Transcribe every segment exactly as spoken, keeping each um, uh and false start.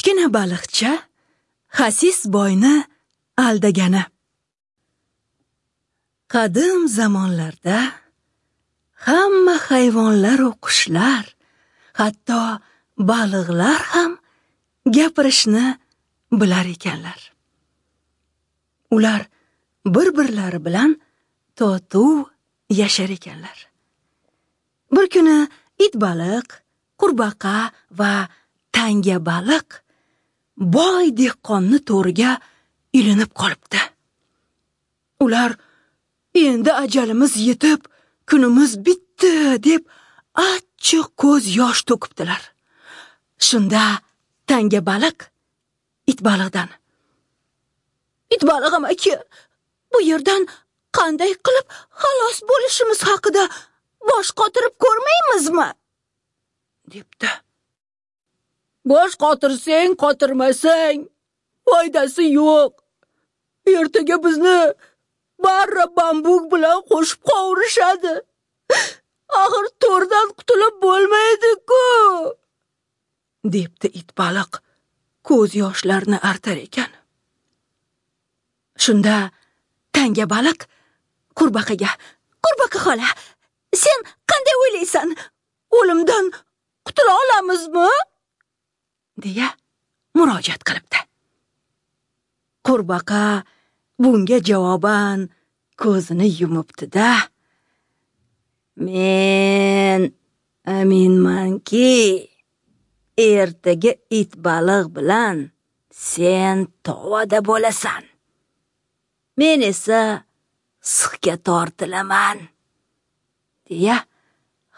Kichkina baliqcha xasis boyni aldagani. Qadim zamonlarda hamma hayvonlar va qushlar, hatto baliqlar ham gapirishni bilar ekanlar. Ular bir-birlari bilan totuv yashar ekanlar. Bir kuni it baliq, qurbaqa va tanga baliq boy dehqonni to'riga ilinib qolibdi. Ular endi ajalimiz yetib, kunimiz bitdi deb achchiq ko'z yosh to'kibdilar. Shunda tanga baliq it baliqdan: "It balig'im aka, bu yerdan qanday qilib xalos bo'lishimiz haqida bosh qotirib ko'rmaymizmi?" debdi. "Bosh qotirsang, qotirmasang foydasi yo'q. Ertaga bizni barra bambuk bilan qo'shib qovurishadi. Axir to'rdan qutulib bo'lmaydi-ku", debdi it baliq ko'z yoshlarini artar ekan. Shunda tanga baliq qurbaqaga: "Qurbaqa xola, sen qanday o'ylaysan? O'limdan qutula olamizmi?" deya murojaat qilibdi. Qurbaqa bunga javoban ko'zini yumibdi-da, "Men aminmanki, ertaga it baliq bilan sen tovada bo'lasan. Men esa sixga tortilaman", deya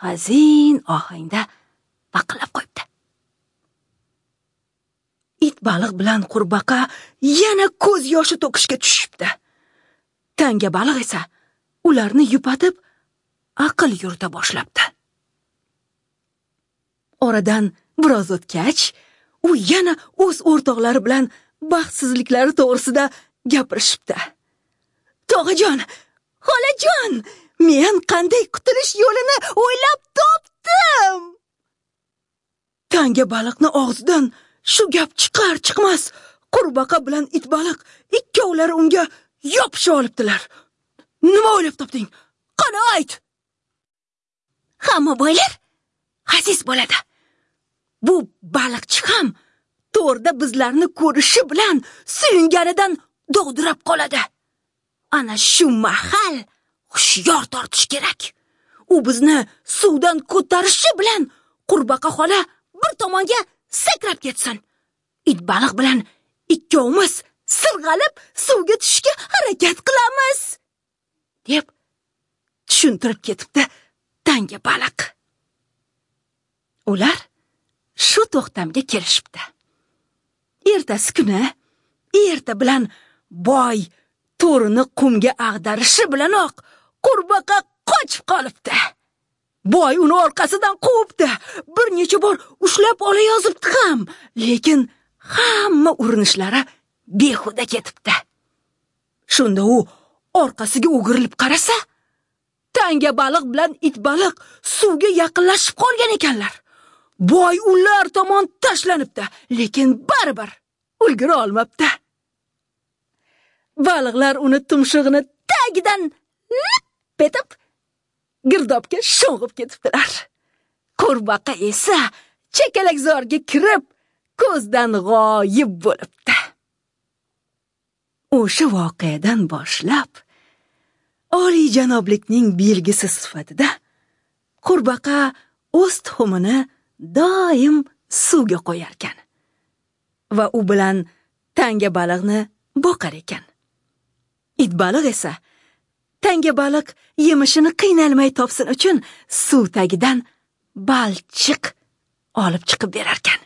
hazin ohangda baqillab qo'yibdi. It baliq bilan qurbaqa yana ko'z yoshi to'kishga tushibdi. Tanga baliq esa ularni yupatib, aql yurita boshlabdi. Oradan biroz o'tgach, u yana o'z o'rtoqlari bilan baxtsizliklari to'g'risida gapirishibdi. "Tog'ajon, xolajon, men qanday qutulish yo'lini o'ylab topdim." Tanga baliqni og'zidan shu gap chiqar chiqmas, qurbaqa bilan it baliq ikkovlari unga yopishib olibdilar. "Nima o'ylab topding? Qani ayt?" "Hamma boylar xasis bo'ladi. Bu baliqchi ham to'rda bizlarni ko'rishi bilan suyunganidan dovdirab qoladi. Ana shu mahal hushyor tortish kerak. U bizni suvdan ko'tarishi bilan qurbaqa xola bir tomonga sakrab ketsin. It baliq bilan ikkovimiz sirg'alib suvga tushishga harakat qilamiz", deb tushuntirib ketibdi tanga baliq. Ular shu to'xtamga kelishibdi. Ertasi kuni erta bilan boy to'rini qumga ag'darishi bilanoq qurbaqa qochib qolibdi. Boy uni orqasidan quvibdi. Bir necha bor ushlab ola yozibdi ham, lekin hamma urinishlari behuda ketibdi. Shunda u orqasiga o'girilib qarasa, tanga baliq bilan it baliq suvga yaqinlashib qolgan ekanlar. Boy ular tomon tashlanibdi, lekin baribir ulgura olmabdi. Baliqlar uni tumshug'ini tagidan lip etib girdobga sho'ng'ib ketibdilar. Qurbaqa esa chakalakzorga kirib ko'zdan g'oyib bo'libdi. O'sha voqeadan boshlab oliyjanoblikning belgisi sifatida qurbaqa o'z tuxumini doim suvga qo'yarkan va u bilan tanga baliqni boqar ekan. It baliq esa tanga baliq yemishini qiynalmay topsin uchun suv tagidan balchiq olib chiqib berarkan.